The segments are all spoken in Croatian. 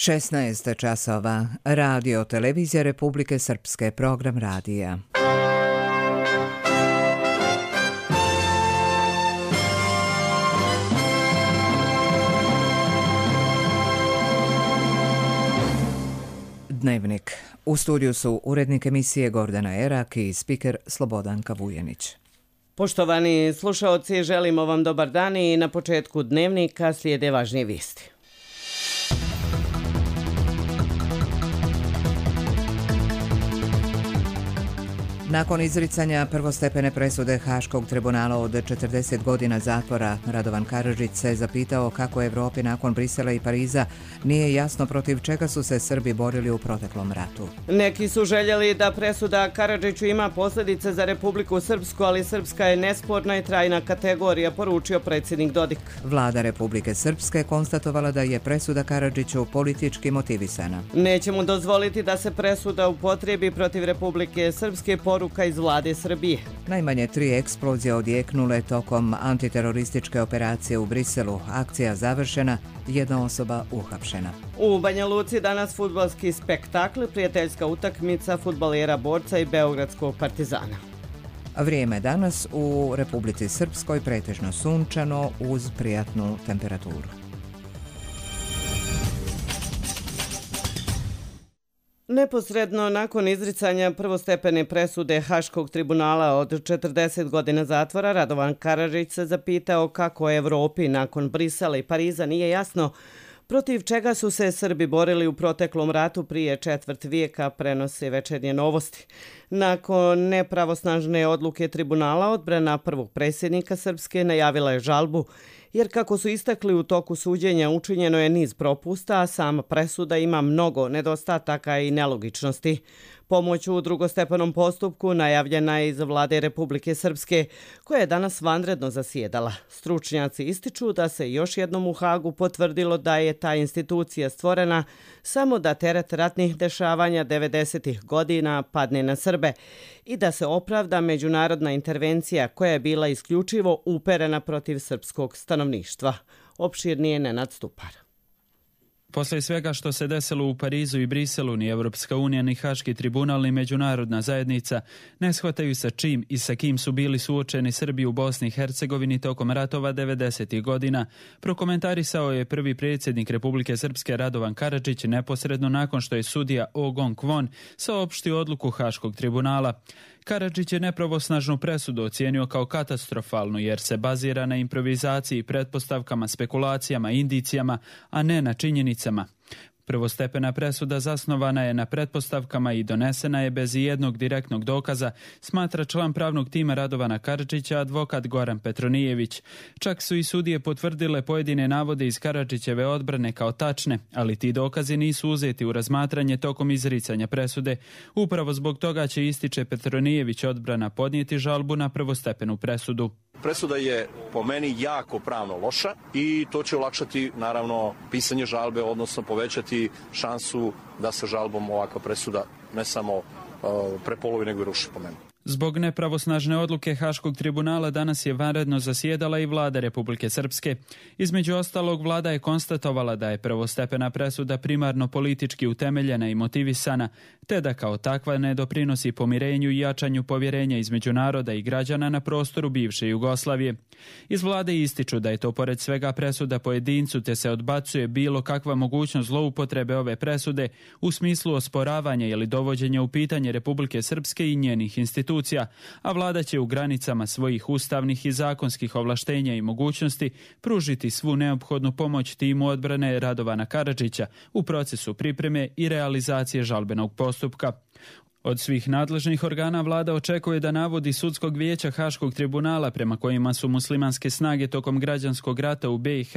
16 časova. Radio Televizija Republike Srpske, program radija. Dnevnik. U studiju su urednik emisije Gordana Erak i spiker Slobodanka Vujanić. Poštovani slušaoci, želimo vam dobar dan i na početku dnevnika slijede važnije vijesti. Nakon izricanja prvostepene presude Haškog tribunala od 40 godina zatvora, Radovan Karadžić se zapitao kako Evropi nakon Brisela i Pariza nije jasno protiv čega su se Srbi borili u proteklom ratu. Neki su željeli da presuda Karadžiću ima posljedice za Republiku Srpsku, ali Srpska je nesporna i trajna kategorija, poručio predsjednik Dodik. Vlada Republike Srpske konstatovala da je presuda Karadžiću politički motivisana. Nećemo dozvoliti da se presuda upotrijebi protiv Republike Srpske, poruka iz vlade Srbije. Najmanje 3 eksplozije odjeknule tokom antiterorističke operacije u Briselu. Akcija završena, jedna osoba uhapšena. U Banja Luci danas fudbalski spektakl, prijateljska utakmica fudbalera Borca i Beogradskog Partizana. Vrijeme danas u Republici Srpskoj pretežno sunčano uz prijatnu temperaturu. Neposredno nakon izricanja prvostepene presude Haškog tribunala od 40 godina zatvora, Radovan Karadžić se zapitao kako Evropi nakon Brisela i Pariza nije jasno protiv čega su se Srbi borili u proteklom ratu prije četvrt vijeka, prenose Večernje novosti. Nakon nepravosnažne odluke tribunala, odbrana prvog predsjednika Srpske najavila je žalbu, jer kako su istakli u toku suđenja učinjeno je niz propusta, a sama presuda ima mnogo nedostataka i nelogičnosti. Pomoć u drugostepenom postupku najavljena je iz vlade Republike Srpske, koja je danas vanredno zasjedala. Stručnjaci ističu da se još jednom u Hagu potvrdilo da je ta institucija stvorena samo da teret ratnih dešavanja 90-ih godina padne na Srbe i da se opravda međunarodna intervencija koja je bila isključivo uperena protiv srpskog stanovništva. Opširnije Nenad Stupar. Poslije svega što se desilo u Parizu i Briselu, ni Evropska unija, ni Haški tribunal, ni međunarodna zajednica ne shvataju sa čim i sa kim su bili suočeni Srbi u Bosni i Hercegovini tokom ratova 90. godina, prokomentarisao je prvi predsjednik Republike Srpske Radovan Karadžić neposredno nakon što je sudija Oh Gong Kwon saopštio odluku Haškog tribunala. Karadžić je nepravosnažnu presudu ocijenio kao katastrofalnu jer se bazira na improvizaciji, pretpostavkama, spekulacijama, indicijama, a ne na činjenicama. Prvostepena presuda zasnovana je na pretpostavkama i donesena je bez ijednog direktnog dokaza, smatra član pravnog tima Radovana Karadžića, advokat Goran Petronijević. Čak su i sudije potvrdile pojedine navode iz Karadžićeve odbrane kao tačne, ali ti dokazi nisu uzeti u razmatranje tokom izricanja presude. Upravo zbog toga će, ističe Petronijević, odbrana podnijeti žalbu na prvostepenu presudu. Presuda je po meni jako pravno loša i to će olakšati naravno pisanje žalbe, odnosno povećati šansu da se žalbom ovakva presuda ne samo prepolovi nego i ruši po meni. Zbog nepravosnažne odluke Haškog tribunala danas je vanredno zasjedala i vlada Republike Srpske. Između ostalog, vlada je konstatovala da je prvostepena presuda primarno politički utemeljena i motivisana, te da kao takva ne doprinosi pomirenju i jačanju povjerenja između naroda i građana na prostoru bivše Jugoslavije. Iz vlade ističu da je to pored svega presuda pojedincu, te se odbacuje bilo kakva mogućnost zloupotrebe ove presude u smislu osporavanja ili dovođenja u pitanje Republike Srpske i njenih institucija, a vlada će u granicama svojih ustavnih i zakonskih ovlaštenja i mogućnosti pružiti svu neophodnu pomoć timu odbrane Radovana Karadžića u procesu pripreme i realizacije žalbenog postupka. Od svih nadležnih organa vlada očekuje da navodi Sudskog vijeća Haškog tribunala prema kojima su muslimanske snage tokom građanskog rata u BiH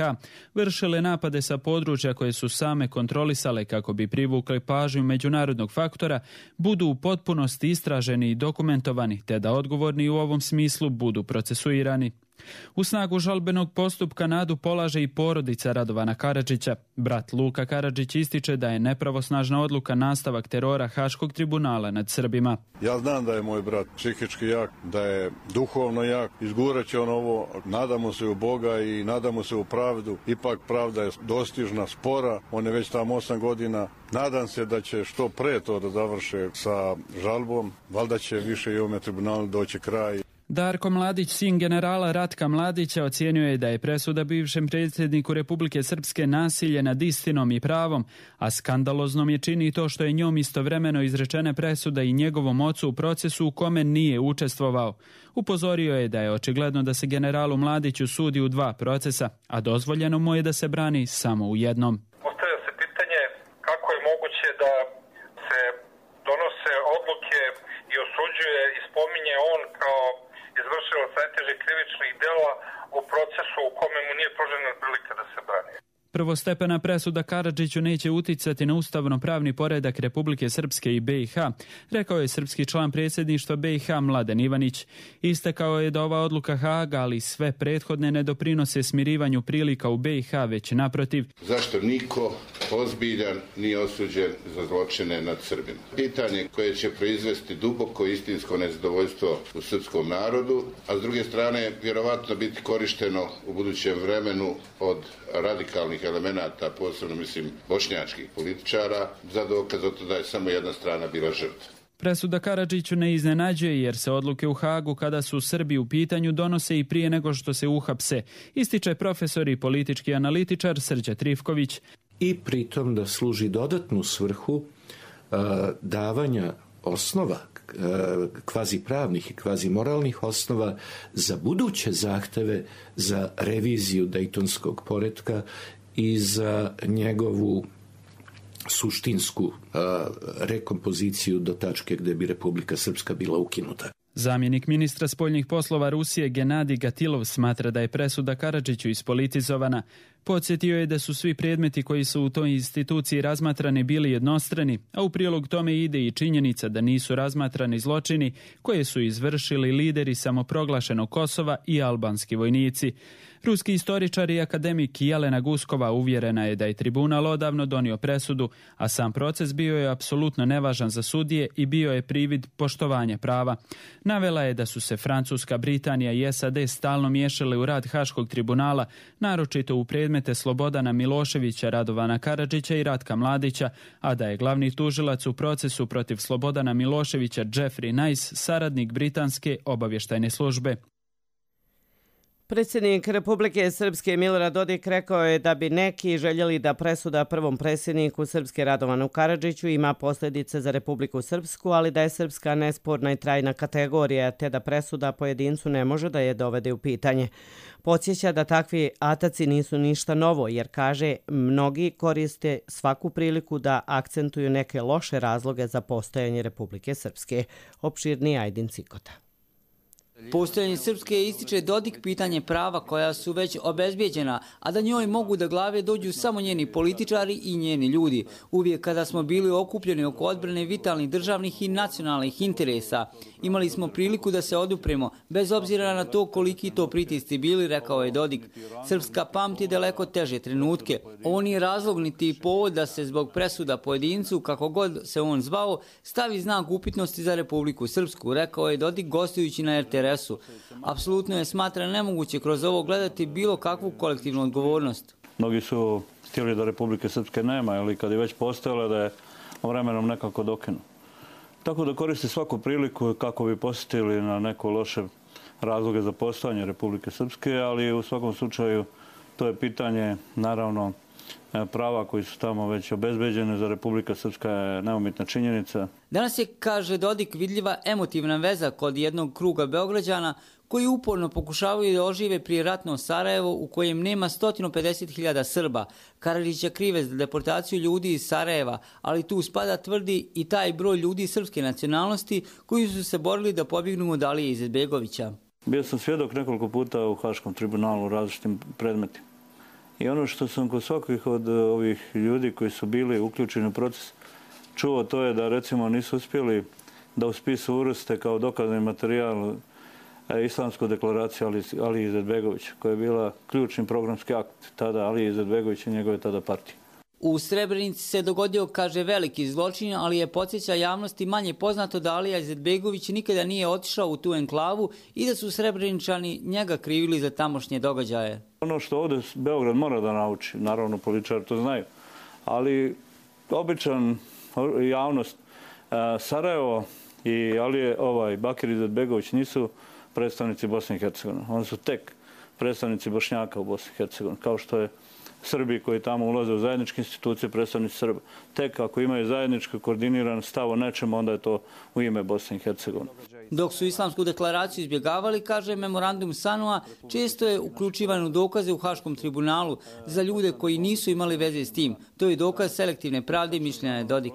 vršile napade sa područja koje su same kontrolisale kako bi privukle pažnju međunarodnog faktora, budu u potpunosti istraženi i dokumentovani, te da odgovorni u ovom smislu budu procesuirani. U snagu žalbenog postupka nadu polaže i porodica Radovana Karadžića. Brat Luka Karadžić ističe da je nepravosnažna odluka nastavak terora Haškog tribunala nad Srbima. Ja znam da je moj brat psihički jak, da je duhovno jak, izgurat će on ovo, nadamo se u Boga i nadamo se u pravdu. Ipak pravda je dostižna, spora, on je već tamo 8 godina. Nadam se da će što pre to da završe sa žalbom, valjda će više i ovome tribunalu doći kraj. Darko Mladić, sin generala Ratka Mladića, ocijenio je da je presuda bivšem predsjedniku Republike Srpske nasilje nad istinom i pravom, a skandaloznom je čini to što je njom istovremeno izrečene presuda i njegovom ocu u procesu u kome nije učestvovao. Upozorio je da je očigledno da se generalu Mladiću sudi u 2 procesa, a dozvoljeno mu je da se brani samo u jednom. Postavlja se pitanje kako je moguće da se donose odluke i osuđuje i spominje on kao izvršilac najtežih krivičnih dela u procesu u kome mu nije pružena prilika da se brani. Prvostepena presuda Karadžiću neće uticati na ustavno-pravni poredak Republike Srpske i BiH, rekao je srpski član predsjedništva BiH Mladen Ivanić. Istakao je da ova odluka Haga, ali sve prethodne ne doprinose smirivanju prilika u BiH, već naprotiv. Zašto niko ozbiljan nije osuđen za zločine nad Srbima? Pitanje koje će proizvesti duboko istinsko nezadovoljstvo u srpskom narodu, a s druge strane vjerovatno biti korišteno u budućem vremenu od radikalnih elemenata, posebno mislim bošnjačkih političara, za dokaz za to da je samo jedna strana bila žrtva. Presuda Karadžiću ne iznenađuje jer se odluke u Hagu kada su Srbi u pitanju donose i prije nego što se uhapse, ističe profesor i politički analitičar Srđan Trifković. I pritom da služi dodatnu svrhu davanja osnova, kvazi pravnih i kvazi moralnih osnova za buduće zahteve za reviziju dejtonskog poretka i za njegovu suštinsku rekompoziciju do tačke gdje bi Republika Srpska bila ukinuta. Zamjenik ministra spoljnih poslova Rusije Genadij Gatilov smatra da je presuda Karadžiću ispolitizovana. Podsjetio je da su svi predmeti koji su u toj instituciji razmatrani bili jednostrani, a u prilog tome ide i činjenica da nisu razmatrani zločini koje su izvršili lideri samoproglašenog Kosova i albanski vojnici. Ruski istoričar i akademik Jelena Guskova uvjerena je da je tribunal odavno donio presudu, a sam proces bio je apsolutno nevažan za sudije i bio je privid poštovanja prava. Navela je da su se Francuska, Britanija i SAD stalno miješale u rad Haškog tribunala, naročito u predmete Slobodana Miloševića, Radovana Karadžića i Ratka Mladića, a da je glavni tužilac u procesu protiv Slobodana Miloševića Jeffrey Nice, saradnik britanske obavještajne službe. Predsjednik Republike Srpske Milorad Dodik rekao je da bi neki željeli da presuda prvom predsjedniku Srpske Radovanu Karadžiću ima posljedice za Republiku Srpsku, ali da je Srpska nesporna i trajna kategorija, te da presuda pojedincu ne može da je dovede u pitanje. Podsjeća da takvi ataci nisu ništa novo, jer kaže mnogi koriste svaku priliku da akcentuju neke loše razloge za postojanje Republike Srpske. Opširni Ajdin Cikota. Postojanje Srpske ističe Dodik pitanje prava koja su već obezbijeđena, a da njoj mogu da glave dođu samo njeni političari i njeni ljudi. Uvijek kada smo bili okupljeni oko odbrane vitalnih državnih i nacionalnih interesa, imali smo priliku da se odupremo, bez obzira na to koliki to pritisci bili, rekao je Dodik. Srpska pamti daleko teže trenutke. Ovo nije razlog niti povod da se zbog presuda pojedincu, kako god se on zvao, stavi znak upitnosti za Republiku Srpsku, rekao je Dodik gostujući na RTS-u. Apsolutno je smatra nemoguće kroz ovo gledati bilo kakvu kolektivnu odgovornost. Mnogi su htjeli da Republike Srpske nema, ali kad je već postojala da je vremenom nekako dokinu. Tako da koriste svaku priliku kako bi posjetili na neko loše razloge za postojanje Republike Srpske, ali u svakom slučaju to je pitanje, naravno, prava koji su tamo već obezbeđene za Republika Srpska je neumitna činjenica. Danas je, kaže Dodik, vidljiva emotivna veza kod jednog kruga Beograđana koji uporno pokušavaju da ožive prijeratno Sarajevo u kojem nema 150.000 Srba. Karadžića krive za deportaciju ljudi iz Sarajeva, ali tu spada, tvrdi, i taj broj ljudi srpske nacionalnosti koji su se borili da pobjegnu od Alije Izetbegovića. Bio sam svjedok nekoliko puta u Haškom tribunalu u različitim predmetima. I ono što sam kod svakih od ovih ljudi koji su bili uključeni u proces čuo, to je da recimo nisu uspjeli da u spisu uvrste kao dokazni materijal Islamsku deklaraciju Alije Izetbegovića, koja je bila ključni programski akt tada Alije Izetbegovića i njegove tada partije. U Srebrenici se dogodio, kaže, veliki zločin, ali je podsjeća javnosti manje poznato da Alija Izetbegović nikada nije otišao u tu enklavu i da su Srebreničani njega krivili za tamošnje događaje. Ono što ovdje Beograd mora da nauči, naravno političari to znaju, ali običan javnost, Sarajevo i Bakir Izetbegović nisu predstavnici Bosne i Hercegovine. Oni su tek predstavnici Bošnjaka u Bosni i Hercegovini, kao što je Srbi koji tamo ulaze u zajedničke institucije, predstavnici Srba. Tek ako imaju zajednički koordiniran stav o nečemu, onda je to u ime Bosne i Hercegovine. Dok su Islamsku deklaraciju izbjegavali, kaže memorandum Sanua, često je uključivan u dokaze u Haškom tribunalu za ljude koji nisu imali veze s tim. To je dokaz selektivne pravde, mišljenja je Dodik.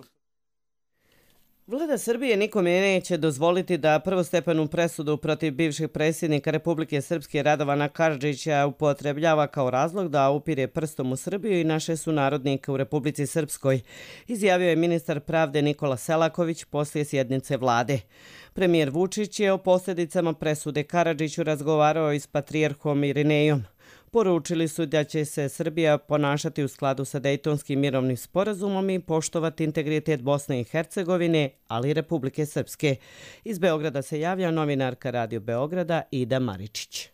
Vlada Srbije nikome neće dozvoliti da prvostepenu presudu protiv bivšeg predsjednika Republike Srpske Radovana Karadžića upotrebljava kao razlog da upire prstom u Srbiju i naše sunarodnike u Republici Srpskoj, izjavio je ministar pravde Nikola Selaković poslije sjednice vlade. Premijer Vučić je o posljedicama presude Karadžiću razgovarao i s patrijarhom Irinejom. Poručili su da će se Srbija ponašati u skladu sa Dejtonskim mirovnim sporazumom i poštovati integritet Bosne i Hercegovine, ali i Republike Srpske. Iz Beograda se javlja novinarka Radio Beograda Ida Maričić.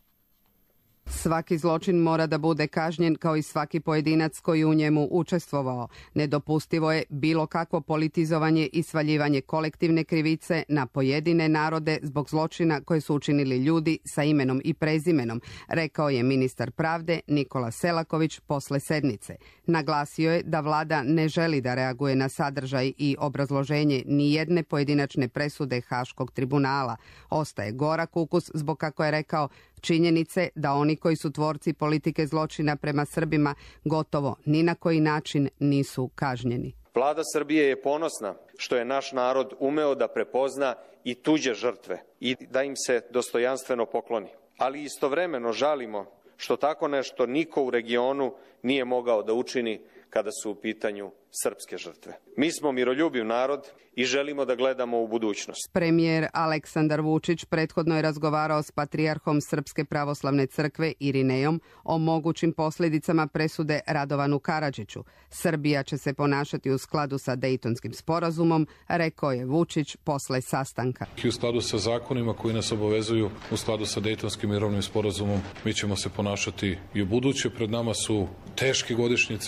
Svaki zločin mora da bude kažnjen kao i svaki pojedinac koji u njemu učestvovao. Nedopustivo je bilo kakvo politizovanje i svaljivanje kolektivne krivice na pojedine narode zbog zločina koje su učinili ljudi sa imenom i prezimenom, rekao je ministar pravde Nikola Selaković posle sednice. Naglasio je da vlada ne želi da reaguje na sadržaj i obrazloženje ni jedne pojedinačne presude Haškog tribunala. Ostaje gorak ukus zbog, kako je rekao, činjenice da oni koji su tvorci politike zločina prema Srbima gotovo ni na koji način nisu kažnjeni. Vlada Srbije je ponosna što je naš narod umeo da prepozna i tuđe žrtve i da im se dostojanstveno pokloni. Ali istovremeno žalimo što tako nešto niko u regionu nije mogao da učini kada su u pitanju srpske žrtve. Mi smo miroljubiv narod i želimo da gledamo u budućnost. Premijer Aleksandar Vučić prethodno je razgovarao s patrijarhom Srpske pravoslavne crkve Irinejom o mogućim posljedicama presude Radovanu Karadžiću. Srbija će se ponašati u skladu sa Dejtonskim sporazumom, rekao je Vučić posle sastanka. U skladu sa zakonima koji nas obavezuju, u skladu sa Dejtonskim mirovnim sporazumom, mi ćemo se ponašati i u buduće. Pred nama su teške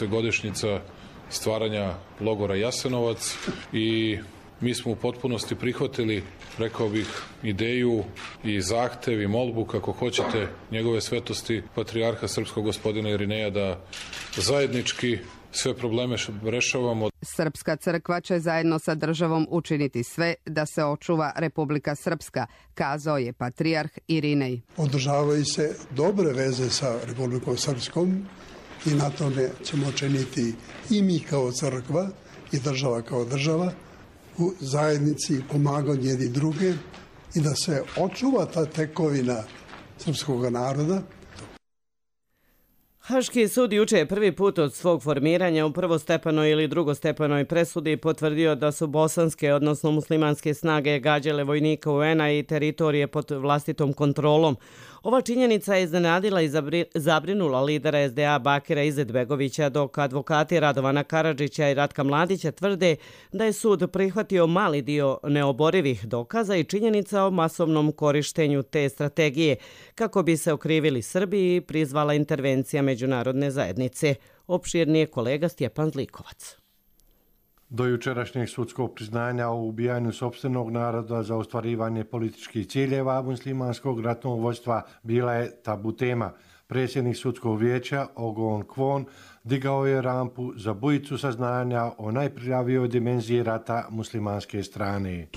godišnjica stvaranja logora Jasenovac i mi smo u potpunosti prihvatili, rekao bih, ideju i zahtev i molbu, kako hoćete, njegove svetosti patrijarha srpskog gospodina Irineja da zajednički sve probleme rešavamo. Srpska crkva će zajedno sa državom učiniti sve da se očuva Republika Srpska, kazao je patrijarh Irinej. Održavaju se dobre veze sa Republikom Srpskom i na tome ćemo činiti i mi kao crkva i država kao država u zajednici pomagati jedni druge i da se očuva ta tekovina srpskog naroda. Haški sud juče je prvi put od svog formiranja u prvostepenoj ili drugostepenoj presudi potvrdio da su bosanske, odnosno muslimanske snage gađale vojnika UN-a i teritorije pod vlastitom kontrolom. Ova činjenica je iznenadila i zabrinula lidera SDA Bakira Izetbegovića, dok advokati Radovana Karadžića i Ratka Mladića tvrde da je sud prihvatio mali dio neoborivih dokaza i činjenica o masovnom korištenju te strategije kako bi se okrivili Srbiji i prizvala intervencija međunarodne zajednice. Opširnije kolega Stjepan Zlikovac. Do jučerašnjeg sudskog priznanja o ubijanju sopstvenog naroda za ostvarivanje političkih ciljeva muslimanskog ratnog vođstva bila je tabu tema. Predsjednik sudskog vijeća Ogon Kvon digao je rampu za bujicu saznanja o najprljavijoj dimenziji rata muslimanske strane.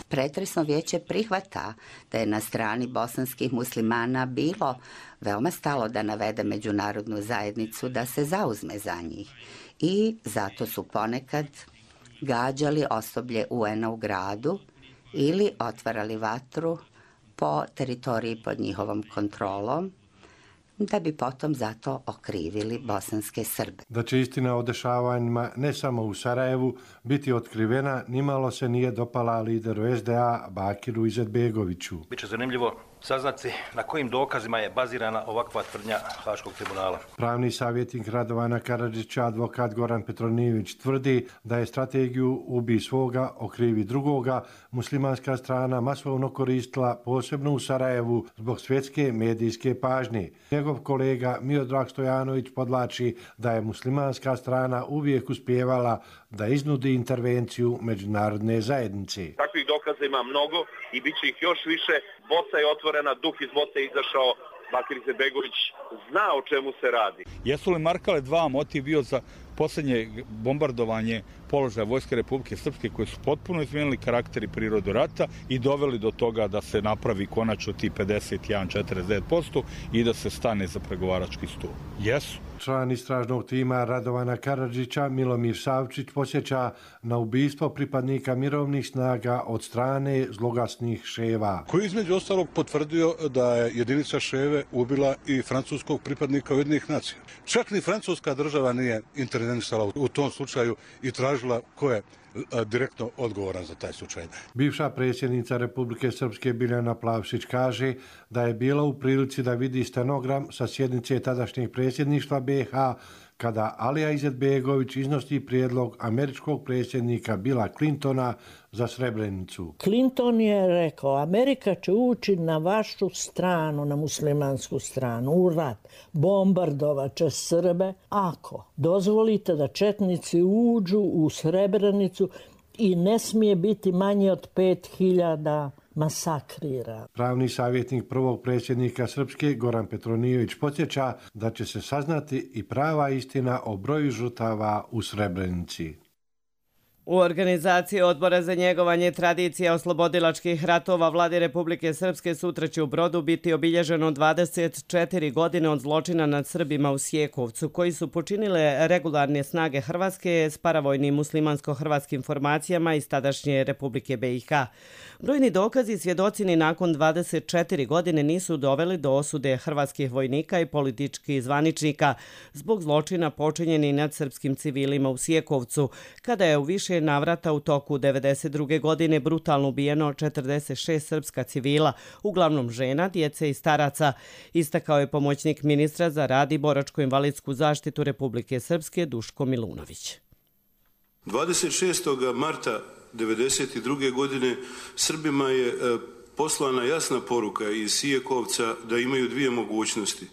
Pretresno vijeće prihvata da je na strani bosanskih muslimana bilo veoma stalo da navede međunarodnu zajednicu da se zauzme za njih. I zato su ponekad gađali osoblje UN-a u gradu ili otvarali vatru po teritoriji pod njihovom kontrolom, da bi potom zato okrivili bosanske Srbe. Da će istina o dešavanjima ne samo u Sarajevu biti otkrivena, nimalo se nije dopala lideru SDA Bakiru Izetbegoviću. Biće zanimljivo saznati na kojim dokazima je bazirana ovakva tvrdnja Haškog tribunala. Pravni savjetnik Radovana Karadžića, advokat Goran Petronijević, tvrdi da je strategiju ubij svoga, okrivi drugoga muslimanska strana masovno koristila, posebno u Sarajevu, zbog svjetske medijske pažnje. Njegov kolega Miodrag Stojanović podlači da je muslimanska strana uvijek uspijevala da iznudi intervenciju međunarodne zajednice. Takvih dokaza ima mnogo i bit će ih još više. Bosna je otvorena, duh iz Bosne je izašao, Bakir Izetbegović zna o čemu se radi. Jesu li Markale 2 motiv bio za posljednje bombardovanje položaja Vojske Republike Srpske, koji su potpuno izmijenili karakter i prirodu rata i doveli do toga da se napravi konačno ti 51,49% i da se stane za pregovarački stol? Jesu. Član istražnog tima Radovana Karadžića, Milomir Savčić, podsjeća na ubistvo pripadnika mirovnih snaga od strane zloglasnih Ševa. Koji između ostalog potvrdio da je jedinica Ševe ubila i francuskog pripadnika Ujedinjenih nacija. Čak ni francuska država nije intervenisala u tom slučaju i tražila ko je direktno odgovoran za taj slučaj. Bivša predsjednica Republike Srpske Biljana Plavšić kaže da je bila u prilici da vidi stenogram sa sjednice tadašnjeg predsjedništva BiH kada Alija Izetbegović iznosi prijedlog američkog predsjednika Billa Clintona za Srebrenicu. Clinton je rekao, Amerika će ući na vašu stranu, na muslimansku stranu, u rat. Bombardovat će Srbe ako dozvolite da četnici uđu u Srebrenicu i ne smije biti manje od 5.000 masakrira. Pravni savjetnik prvog predsjednika Srpske Goran Petronijević podsjeća da će se saznati i prava istina o broju žrtava u Srebrenici. U organizaciji Odbora za njegovanje tradicija oslobodilačkih ratova Vlade Republike Srpske sutra će u Brodu biti obilježeno 24 godine od zločina nad Srbima u Sjekovcu, koji su počinile regularne snage Hrvatske s paravojnim muslimansko-hrvatskim formacijama iz tadašnje Republike BiH. Brojni dokazi i svjedocini nakon 24 godine nisu doveli do osude hrvatskih vojnika i političkih zvaničnika zbog zločina počinjeni nad srpskim civilima u Sjekovcu, kada je u više navrata u toku 1992. godine brutalno ubijeno 46 srpska civila, uglavnom žena, djece i staraca, istakao je pomoćnik ministra za rad i boračko-invalidsku zaštitu Republike Srpske Duško Milunović. 26. marta 1992. godine Srbima je poslana jasna poruka iz Sijekovca da imaju dvije mogućnosti.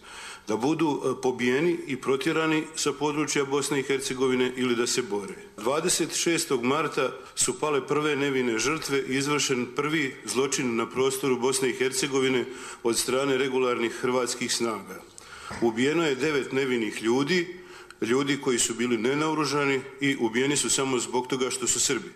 Da budu pobijeni i protjerani sa područja Bosne i Hercegovine ili da se bore. 26. marta su pale prve nevine žrtve i izvršen prvi zločin na prostoru Bosne i Hercegovine od strane regularnih hrvatskih snaga. Ubijeno je 9 nevinih ljudi koji su bili nenaoružani i ubijeni su samo zbog toga što su Srbi.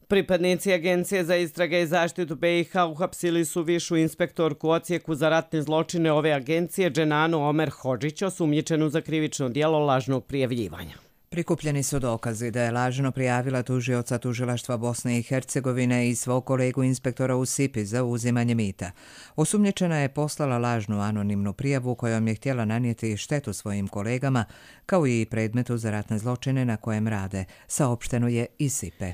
Pripadnici Agencije za istrage i zaštitu BiH uhapsili su višu inspektorku u odsjeku za ratne zločine ove agencije Dženanu Omer Hodžić, osumnjičenu za krivično djelo lažnog prijavljivanja. Prikupljeni su dokazi da je lažno prijavila tužioca tužilaštva Bosne i Hercegovine i svog kolegu inspektora u Sipi za uzimanje mita. Osumnjičena je poslala lažnu anonimnu prijavu kojom je htjela nanijeti štetu svojim kolegama, kao i predmetu za ratne zločine na kojem rade, saopšteno je iz Sipe.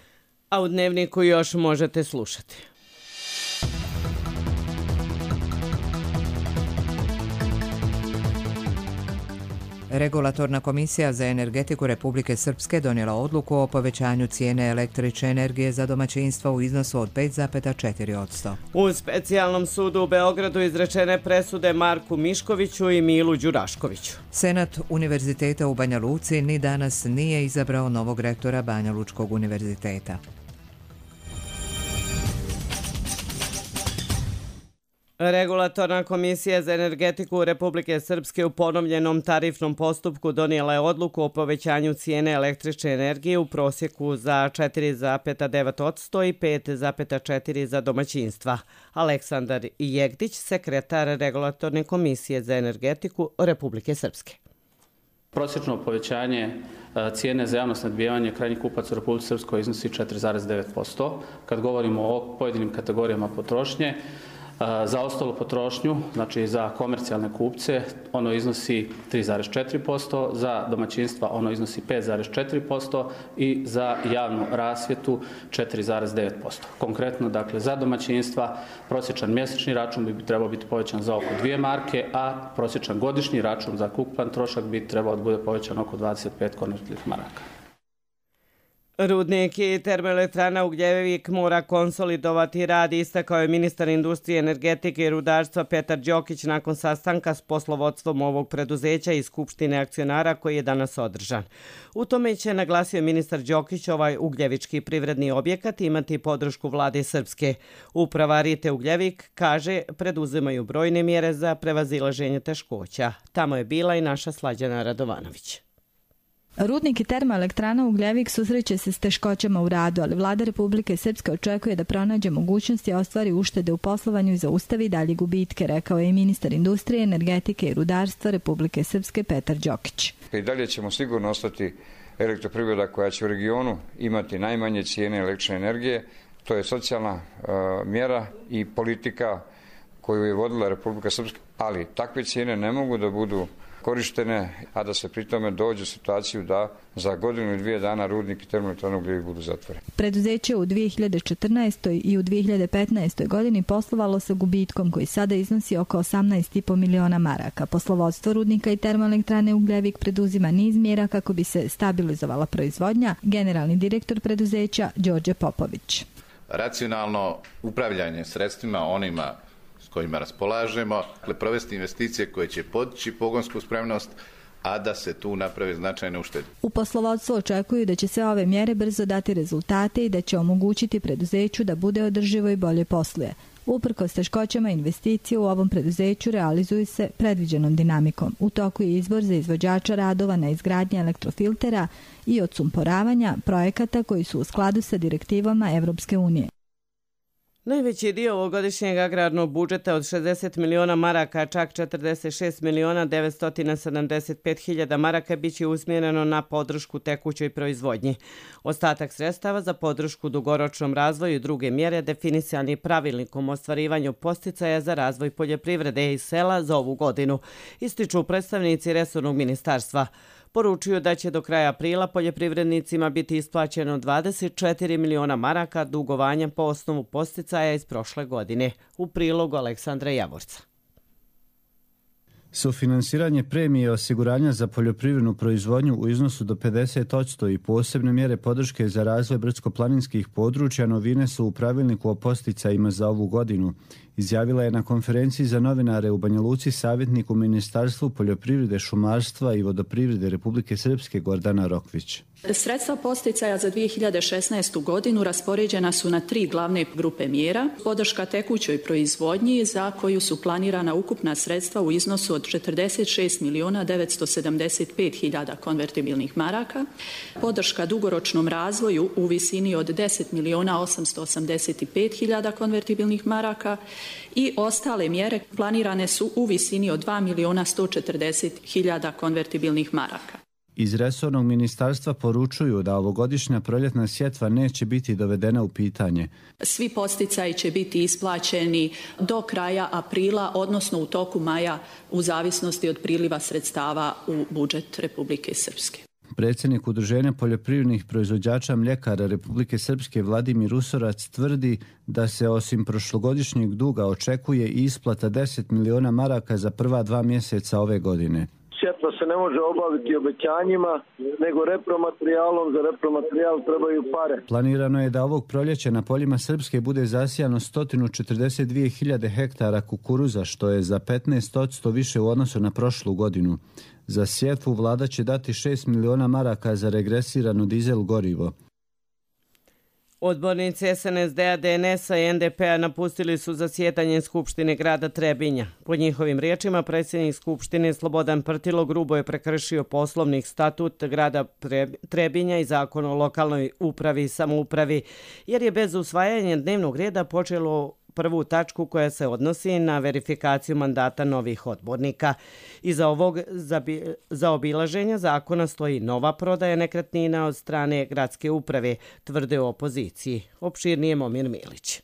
A u Dnevniku još možete slušati. Regulatorna komisija za energetiku Republike Srpske donijela odluku o povećanju cijene električne energije za domaćinstva u iznosu od 5,4%. U specijalnom sudu u Beogradu izrečene presude Marku Miškoviću i Milu Đuraškoviću. Senat Univerziteta u Banja Luci ni danas nije izabrao novog rektora Banja Lučkog univerziteta. Regulatorna komisija za energetiku Republike Srpske u ponovljenom tarifnom postupku donijela je odluku o povećanju cijene električne energije u prosjeku za 4,9% i 5,4% za domaćinstva. Aleksandar Jegdić, sekretar Regulatorne komisije za energetiku Republike Srpske. Prosječno povećanje cijene za javno snabdijevanje krajnjih kupaca u Republici Srpskoj iznosi 4,9%. Kad govorimo o pojedinim kategorijama potrošnje, Za ostalu potrošnju, znači za komercijalne kupce, ono iznosi 3,4%, za domaćinstva ono iznosi 5,4% i za javnu rasvjetu 4,9%. Konkretno, dakle, za domaćinstva prosječan mjesečni račun bi trebao biti povećan za oko 2 marke, a prosječan godišnji račun za ukupan trošak bi trebao da bude povećan oko 25 konvertibilnih maraka. Rudnik i termoelektrana Ugljevik mora konsolidovati rad, istakao je ministar industrije, energetike i rudarstva Petar Đokić nakon sastanka s poslovodstvom ovog preduzeća i skupštine akcionara koji je danas održan. U tome će, naglasio ministar Đokić, ovaj ugljevički privredni objekat imati podršku vlade Srpske. Uprava Rite Ugljevik, kaže, preduzimaju brojne mjere za prevazilaženje teškoća. Tamo je bila i naša Slađana Radovanović. Rudnik i termoelektrana Ugljevik susreće se s teškoćama u radu, ali vlada Republike Srpske očekuje da pronađe mogućnosti i ostvari uštede u poslovanju i zaustavi dalje gubitke, rekao je i ministar industrije, energetike i rudarstva Republike Srpske Petar Đokić. I dalje ćemo sigurno ostati elektroprivreda koja će u regionu imati najmanje cijene električne energije. To je socijalna mjera i politika koju je vodila Republika Srpska, ali takve cijene ne mogu da budu korištene, a da se pri tome dođe u situaciju da za godinu i 2 dana rudnik i termoelektrana Ugljevik budu zatvoreni. Preduzeće u 2014. i u 2015. godini poslovalo sa gubitkom koji sada iznosi oko 18,5 miliona maraka. Poslovodstvo rudnika i termoelektrane Ugljevik preduzima niz mjera kako bi se stabilizovala proizvodnja, generalni direktor preduzeća Đorđe Popović. Racionalno upravljanje sredstvima onima s kojima raspolažemo, provesti investicije koje će podići pogonsku spremnost, a da se tu naprave značajne uštede. U poslovodstvu očekuju da će sve ove mjere brzo dati rezultate i da će omogućiti preduzeću da bude održivo i bolje posluje. Uprkos teškoćama investicije u ovom preduzeću realizuju se predviđenom dinamikom. U toku je izbor za izvođača radova na izgradnji elektrofiltera i odsumporavanja projekata koji su u skladu sa direktivama Evropske unije. Najveći dio ovogodišnjeg agrarnog budžeta od 60 miliona maraka, čak 46 miliona 975 hiljada maraka biće usmjereno na podršku tekućoj proizvodnji. Ostatak sredstava za podršku dugoročnom razvoju i druge mjere definisani pravilnikom o ostvarivanju podsticaja za razvoj poljoprivrede i sela za ovu godinu, ističu predstavnici resornog ministarstva. Poručuju da će do kraja aprila poljoprivrednicima biti isplaćeno 24 miliona maraka dugovanja po osnovu podsticaja iz prošle godine. U prilogu Aleksandra Javorca. Sufinansiranje premije osiguranja za poljoprivrednu proizvodnju u iznosu do 50% i posebne mjere podrške za razvoj brdsko-planinskih područja novine su u pravilniku o podsticajima za ovu godinu, izjavila je na konferenciji za novinare u Banja Luci savjetnik u Ministarstvu poljoprivrede, šumarstva i vodoprivrede Republike Srpske Gordana Rokvić. Sredstva podsticaja za 2016. godinu raspoređena su na 3 glavne grupe mjera. Podrška tekućoj proizvodnji za koju su planirana ukupna sredstva u iznosu od 46 miliona 975 hiljada konvertibilnih maraka. Podrška dugoročnom razvoju u visini od 10 miliona 885 hiljada konvertibilnih maraka i ostale mjere planirane su u visini od 2 miliona 140 hiljada konvertibilnih maraka. Iz resornog ministarstva poručuju da ovogodišnja proljetna sjetva neće biti dovedena u pitanje. Svi podsticaji će biti isplaćeni do kraja aprila, odnosno u toku maja, u zavisnosti od priliva sredstava u budžet Republike Srpske. Predsjednik Udruženja poljoprivrednih proizvođača mljekara Republike Srpske Vladimir Usorac tvrdi da se osim prošlogodišnjeg duga očekuje i isplata 10 miliona maraka za prva 2 mjeseca ove godine. Sjetva se ne može obaviti obećanjima, nego repromaterijalom. Za repromaterijal trebaju pare. Planirano je da ovog proljeća na poljima Srpske bude zasijano 142.000 hektara kukuruza, što je za 15% više u odnosu na prošlu godinu. Za sjetvu vlada će dati 6 miliona maraka za regresirano dizel gorivo. Odbornici SNSD-a, DNS-a i NDP-a napustili su zasjedanje Skupštine grada Trebinja. Po njihovim riječima, predsjednik Skupštine Slobodan Prtilo grubo je prekršio poslovnik statut grada Trebinja i zakon o lokalnoj upravi i samoupravi, jer je bez usvajanja dnevnog reda počelo prvu tačku koja se odnosi na verifikaciju mandata novih odbornika. Iza ovog zaobilaženja zakona stoji nova prodaja nekretnina od strane gradske uprave, tvrde u opoziciji. Opširnije Momir Milić.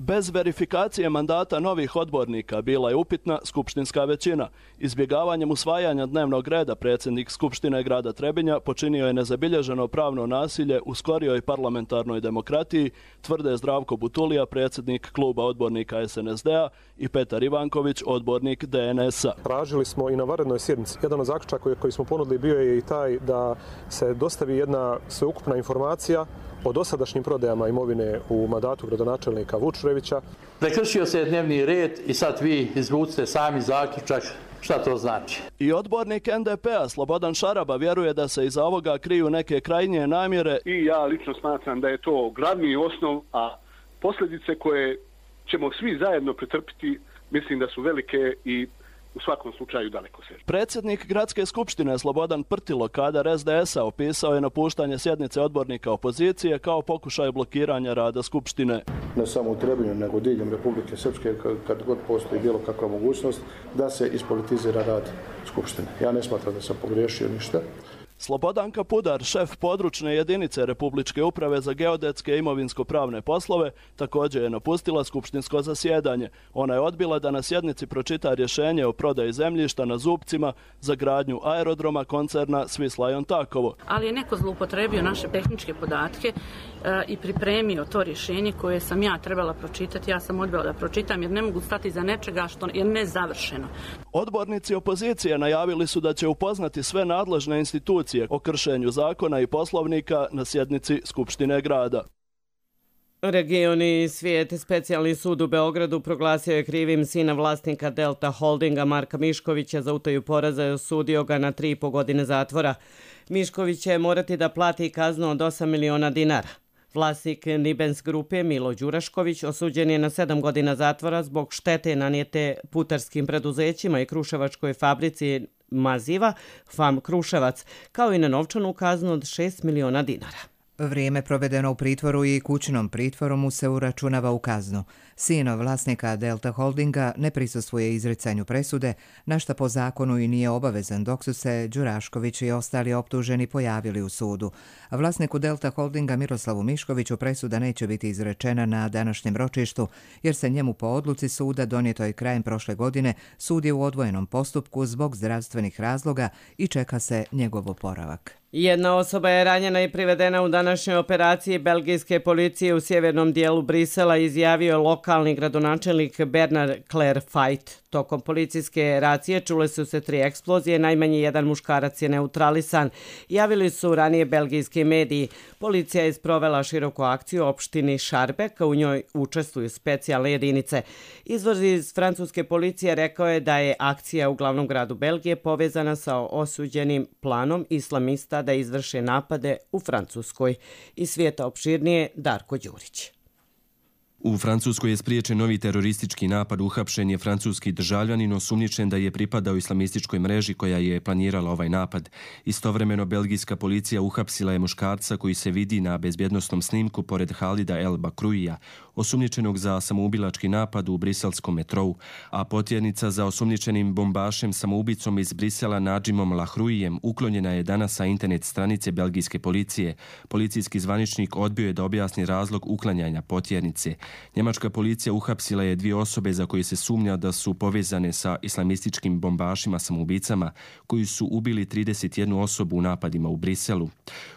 Bez verifikacije mandata novih odbornika bila je upitna skupštinska većina. Izbjegavanjem usvajanja dnevnog reda predsjednik Skupštine grada Trebinja počinio je nezabilježeno pravno nasilje u skorijoj parlamentarnoj demokratiji, tvrde Zdravko Butulija, predsjednik kluba odbornika SNSD-a, i Petar Ivanković, odbornik DNS-a. Tražili smo i na vanrednoj sjednici. Jedan od zaključaka koji smo ponudili bio je i taj da se dostavi jedna sveukupna informacija o dosadašnjim prodajama imovine u mandatu gradonačelnika Vučurevića. Prekršio se dnevni red i sad vi izvucite sami zaključak šta to znači. I odbornik NDP-a Slobodan Šaraba vjeruje da se iza ovoga kriju neke krajnje namjere. I ja lično smatram da je to glavni osnov, a posljedice koje ćemo svi zajedno pretrpiti mislim da su velike i u svakom slučaju daleko sežne. Predsjednik Gradske skupštine Slobodan Prtilo, kadar SDS-a, opisao je napuštanje sjednice odbornika opozicije kao pokušaj blokiranja rada skupštine. Ne samo u Trebinju, nego diljem Republike Srpske, kad god postoji bilo kakva mogućnost da se ispolitizira rad skupštine. Ja ne smatram da sam pogriješio ništa. Slobodanka Pudar, šef područne jedinice Republičke uprave za geodetske i imovinsko-pravne poslove, također je napustila skupštinsko zasjedanje. Ona je odbila da na sjednici pročita rješenje o prodaji zemljišta na Zupcima za gradnju aerodroma koncerna Swiss Lion Takovo. Ali je neko zloupotrebio naše tehničke podatke i pripremio to rješenje koje sam ja trebala pročitati. Ja sam odbila da pročitam jer ne mogu stati za nečega što je nezavršeno. Odbornici opozicije najavili su da će upoznati sve nadležne institucije o kršenju zakona i poslovnika na sjednici Skupštine grada. Regioni svijet, specijalni sud u Beogradu proglasio je krivim sina vlasnika Delta Holdinga Marka Miškovića za utaju poreza i osudio ga na 3,5 godine zatvora. Mišković će morati da plati kaznu od 8 miliona dinara. Vlasnik Nibens grupe Milo Đurašković osuđen je na 7 godina zatvora zbog štete nanijete putarskim preduzećima i kruševačkoj fabrici Maziva, FAM Kruševac, kao i na novčanu kaznu od 6 miliona dinara. Vrijeme provedeno u pritvoru i kućnom pritvoru mu se uračunava u kaznu. Sin vlasnika Delta Holdinga ne prisustvuje izricanju presude, na šta po zakonu i nije obavezan, dok su se Đurašković i ostali optuženi pojavili u sudu. Vlasniku Delta Holdinga Miroslavu Miškoviću presuda neće biti izrečena na današnjem ročištu, jer se njemu po odluci suda donijetoj krajem prošle godine sud je u odvojenom postupku zbog zdravstvenih razloga i čeka se njegov oporavak. Jedna osoba je ranjena i privedena u današnjoj operaciji belgijske policije u sjevernom dijelu Brisela, izjavio lokalni gradonačelnik Bernard Clairfayt. Tokom policijske racije čule su se 3 eksplozije, najmanje jedan muškarac je neutralisan. Javili su ranije belgijski mediji. Policija je sprovela široku akciju u opštini Šarbek, u njoj učestvuju specijalne jedinice. Izvor iz francuske policije rekao je da je akcija u glavnom gradu Belgije povezana sa osuđenim planom islamista da izvrše napade u Francuskoj. Iz svijeta opširnije Darko Đurić. U Francuskoj je spriječen novi teroristički napad, uhapšen je francuski državljanin osumnjičen da je pripadao islamističkoj mreži koja je planirala ovaj napad. Istovremeno belgijska policija uhapsila je muškarca koji se vidi na bezbjednosnom snimku pored Halida El Bakruija, osumnjičenog za samoubilački napad u briselskom metrou, a potjernica za osumnjičenim bombašem samoubicom iz Brisela Nadžimom Lahruijem uklonjena je danas sa internet stranice belgijske policije. Policijski zvaničnik odbio je da objasni razlog uklanjanja potjernice. Njemačka policija uhapsila je 2 osobe za koje se sumnja da su povezane sa islamističkim bombašima samoubicama koji su ubili 31 osobu u napadima u Briselu.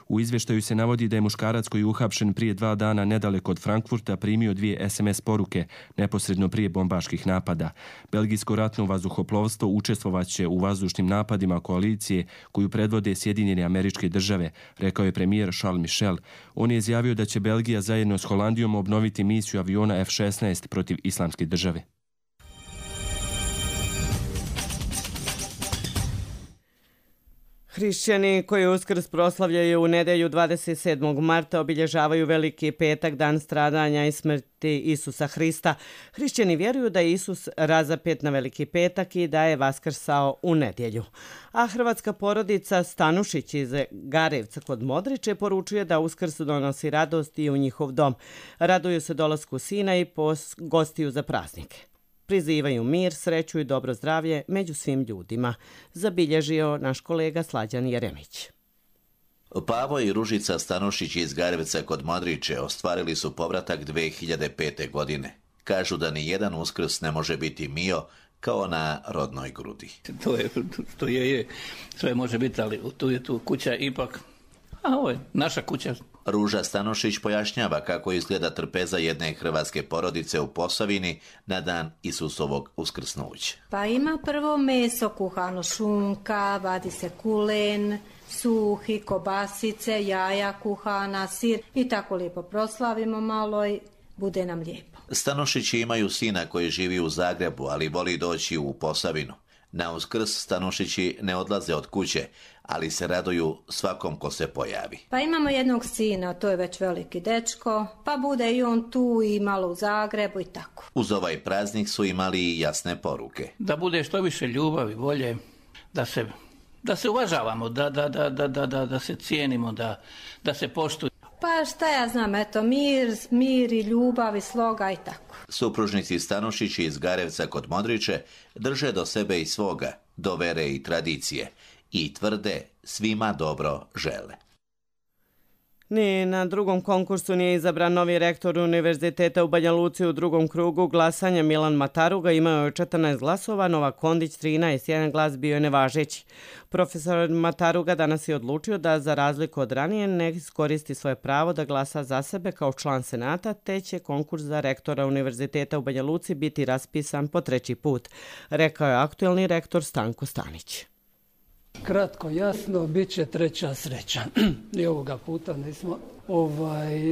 U izvještaju se navodi da je muškarac koji je uhapšen prije 2 dana nedaleko od Frankfurta primio 2 SMS poruke neposredno prije bombaških napada. Belgijsko ratno vazduhoplovstvo učestvovaće u vazdušnim napadima koalicije koju predvode Sjedinjene Američke Države, rekao je premijer Charles Michel. On je izjavio da će Belgija zajedno s Holandijom obnoviti misiju aviona F-16 protiv Islamske države. Hrišćani koji Uskrs proslavljaju u nedjelju 27. marta obilježavaju Veliki petak, dan stradanja i smrti Isusa Hrista. Hrišćani vjeruju da je Isus razapet na Veliki petak i da je vaskrsao u nedjelju. A hrvatska porodica Stanušić iz Garevca kod Modriče poručuje da Uskrs donosi radost i u njihov dom. Raduju se dolasku sina i gostiju za praznike. Prizivaju mir, sreću i dobro zdravlje među svim ljudima, zabilježio naš kolega Slađan Jeremić. Pavo i Ružica Stanušić iz Garevca kod Modriče ostvarili su povratak 2005. godine. Kažu da ni jedan Uskrs ne može biti mio kao na rodnoj grudi. To je, sve može biti, ali tu je tu kuća ipak, a ovo je naša kuća. Ruža Stanošić pojašnjava kako izgleda trpeza jedne hrvatske porodice u Posavini na dan Isusovog uskrsnuća. Pa ima prvo meso kuhano, šunka, vadi se kulen, suhi, kobasice, jaja kuhana, sir i tako lijepo proslavimo malo i bude nam lijepo. Stanošići imaju sina koji živi u Zagrebu, ali voli doći u Posavinu. Na Uskrs Stanošići ne odlaze od kuće, ali se raduju svakom ko se pojavi. Pa imamo jednog sina, to je već veliki dečko, pa bude i on tu i malo u Zagrebu i tako. Uz ovaj praznik su imali i jasne poruke. Da bude što više ljubavi, volje, da se uvažavamo, da se cijenimo, da se poštuje. Pa šta ja znam, eto, mir i ljubav i sloga i tako. Supružnici Stanošići iz Garevca kod Modriče drže do sebe i svoga, do vere i tradicije i tvrde svima dobro žele. Ni na drugom konkursu nije izabran novi rektor Univerziteta u Banja Luci u drugom krugu glasanja. Milan Mataruga imao je 14 glasova, Novak Kondić 13, jedan glas bio je nevažeći. Profesor Mataruga danas je odlučio da za razliku od ranije ne iskoristi svoje pravo da glasa za sebe kao član Senata, te će konkurs za rektora Univerziteta u Banja Luci biti raspisan po 3. put, rekao je aktuelni rektor Stanko Stanić. Kratko, jasno, bit će treća sreća. I ovoga puta nismo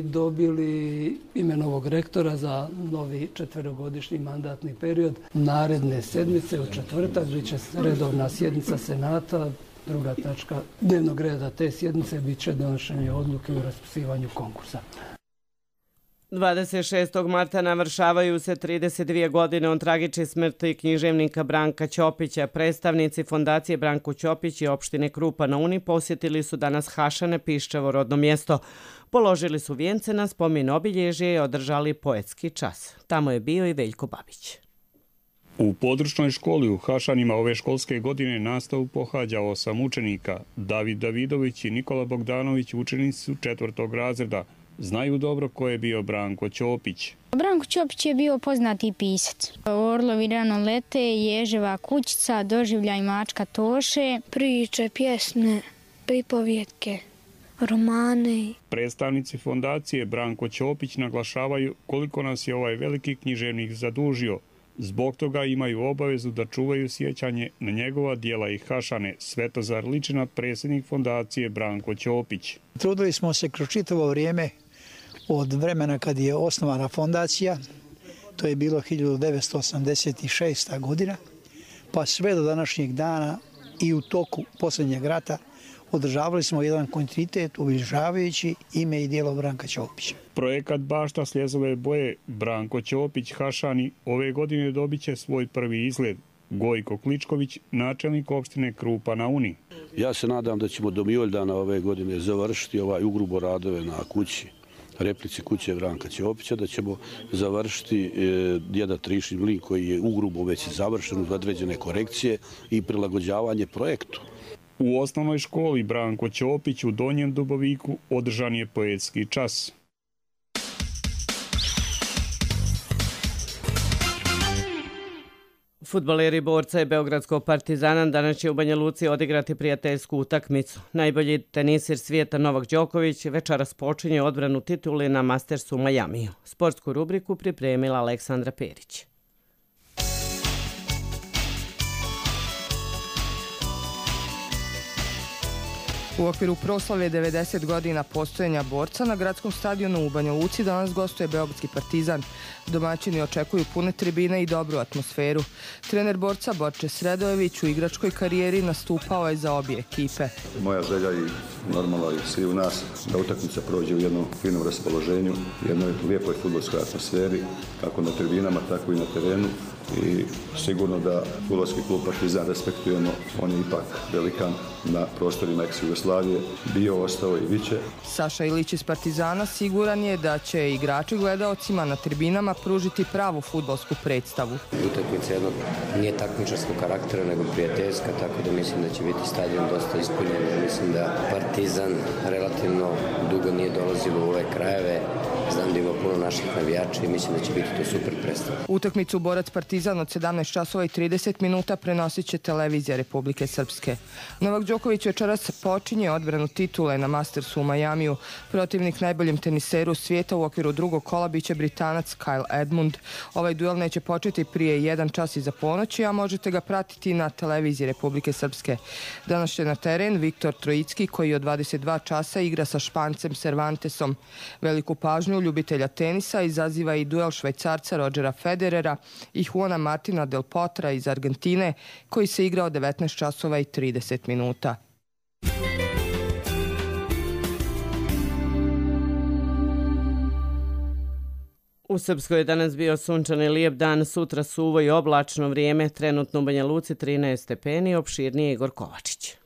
dobili ime novog rektora za novi 4-godišnji mandatni period. Naredne sedmice u četvrtak bit će redovna sjednica Senata. Druga tačka dnevnog reda te sjednice bit će donošenje odluke o raspisivanju konkursa. 26. marta navršavaju se 32 godine od tragične smrti književnika Branka Ćopića. Predstavnici fondacije Branko Ćopić i opštine Krupa na Uni posjetili su danas Hašane, Piščevo rodno mjesto. Položili su vijence na spomen obilježje i održali poetski čas. Tamo je bio i Veljko Babić. U područnoj školi u Hašanima ove školske godine nastavu pohađa 8 učenika. David Davidović i Nikola Bogdanović učenici su 4. razreda. Znaju dobro ko je bio Branko Ćopić. Branko Ćopić je bio poznati pisac. Orlovi rano lete, Ježeva kućica, Doživljaj mačka Toše. Priče, pjesme, pripovjetke, romane. Predstavnici fondacije Branko Ćopić naglašavaju koliko nas je ovaj veliki književnik zadužio. Zbog toga imaju obavezu da čuvaju sjećanje na njegova dijela i Hašane. Svetozar Ličina, predsjednik fondacije Branko Ćopić. Trudili smo se kroz čitavo vrijeme od vremena kad je osnovana fondacija, to je bilo 1986. godina, pa sve do današnjeg dana i u toku posljednjeg rata održavali smo jedan kontinuitet obilježavajući ime i djelo Branka Ćopića. Projekat Bašta Sljezove boje Branko Ćopić Hašani ove godine dobit će svoj prvi izgled. Gojko Kličković, načelnik opštine Krupa na Uni. Ja se nadam da ćemo do Mijoljdana ove godine završiti ugrubo radove na kući, replici kuće Branka Ćopića, da ćemo završiti jedan trišni mlin koji je ugrubo već završen uz određene korekcije i prilagođavanje projektu. U osnovnoj školi Branko Ćopić u Donjem Duboviku održan je poetski čas. Fudbaleri Borca i Beogradskog Partizana danas će u Banja Luci odigrati prijateljsku utakmicu. Najbolji tenisir svijeta Novak Đoković večeras počinje odbranu titule na Mastersu u Majamiju. Sportsku rubriku pripremila Aleksandra Perić. U okviru proslave 90 godina postojanja Borca na gradskom stadionu u Banja Luci danas gostuje Beogradski Partizan. Domaćini očekuju pune tribine i dobru atmosferu. Trener Borca Borče Sredojević u igračkoj karijeri nastupao je za obje ekipe. Moja želja i normalno i svi u nas da utakmica prođe u jednom finom raspoloženju, jednoj lijepoj fudbalskoj atmosferi, kako na tribinama, tako i na terenu. i sigurno da fudbalski klub Partizan respektujemo, on je ipak velikan na prostorima ex-Jugoslavije, bio, ostao i biće. Saša Ilić iz Partizana siguran je da će igrači gledaocima na tribinama pružiti pravu fudbalsku predstavu. Utakmica jednog nije takmičarskog karaktera, nego prijateljska, tako da mislim da će biti stadion dosta ispunjen. Mislim da Partizan relativno dugo nije dolazilo u ove krajeve. Znam da ima puno naših navijača i mislim da će biti to super predstava. Utakmicu Borac Partizan od 17 časova i 30 minuta prenosit će televizija Republike Srpske. Novak Đoković večeras počinje odbranu titule na Mastersu u Majamiju. Protivnik najboljem teniseru svijeta u okviru drugog kola biće Britanac Kyle Edmund. Ovaj duel neće početi prije 1 čas iza ponoći, a možete ga pratiti na televiziji Republike Srpske. Danas će na teren Viktor Trojicki, koji od 22 časa igra sa Špancem Cervantesom. Veliku pažnju ljubitelja tenisa izaziva i duel Švajcarca Rodgera Federera i Juana Martina Del Potra iz Argentine, koji se igra od 19 časova i 30 minuta. U Srpskoj je danas bio sunčan i lijep dan, sutra suvo i oblačno vrijeme, trenutno u Banja Luci 13 stepeni, opširnije Igor Kovačić.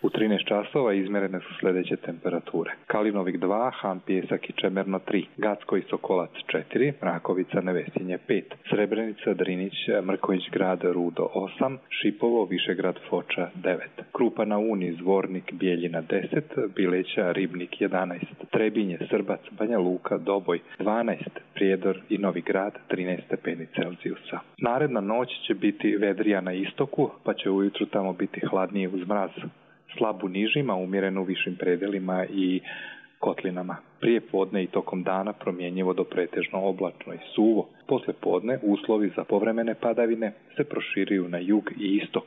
U 13 časova izmerene su sljedeće temperature. Kalinovik 2, Han Pijesak i Čemerno 3, Gacko i Sokolac 4, Mrakovica, Nevesinje 5, Srebrenica, Drinić, Mrković grad, Rudo 8, Šipovo, Višegrad, Foča 9, Krupa na Uni, Zvornik, Bijeljina 10, Bileća, Ribnik 11, Trebinje, Srbac, Banja Luka, Doboj 12, Prijedor i Novi Grad 13 stepeni Celzijusa. Naredna noć će biti vedrija na istoku, pa će ujutru tamo biti hladnije uz mraz. Slab u nižima, umjeren u višim predelima i kotlinama. Prije podne i tokom dana promjenjivo do pretežno oblačno i suvo. Posle podne uslovi za povremene padavine se proširuju na jug i istok,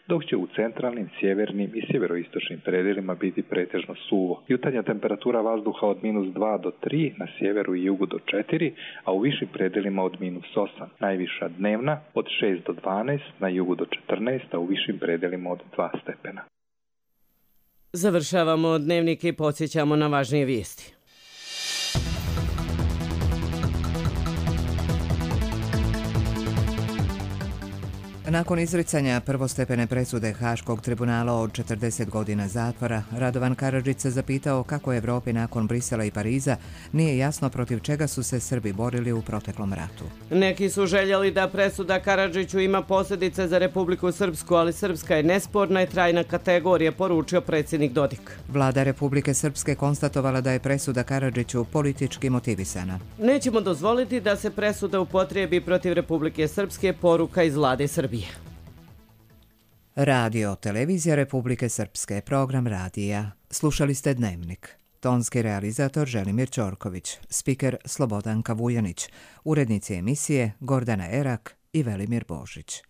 dok će u centralnim, sjevernim i sjeveroistočnim predelima biti pretežno suvo. Jutarnja temperatura vazduha od -2 do 3, na sjeveru i jugu do 4, a u višim predelima od -8. Najviša dnevna od 6 do 12, na jugu do 14, a u višim predelima od 2 stepena. Završavamo dnevnik i podsjećamo na važnije vijesti. Nakon izricanja prvostepene presude Haškog tribunala od 40 godina zatvora, Radovan Karadžić se zapitao kako Evropi nakon Brisela i Pariza nije jasno protiv čega su se Srbi borili u proteklom ratu. Neki su željeli da presuda Karadžiću ima posljedice za Republiku Srpsku, ali Srpska je nesporna i trajna kategorija, poručio predsjednik Dodik. Vlada Republike Srpske konstatovala da je presuda Karadžiću politički motivisana. Nećemo dozvoliti da se presuda upotrijebi protiv Republike Srpske, poruka iz vlade Srbije. Radio, televizija Republike Srpske, program radija. Slušali ste Dnevnik. Tonski realizator Želimir Ćorković, spiker Slobodanka Vujanić, urednici emisije Gordana Erak i Velimir Božić.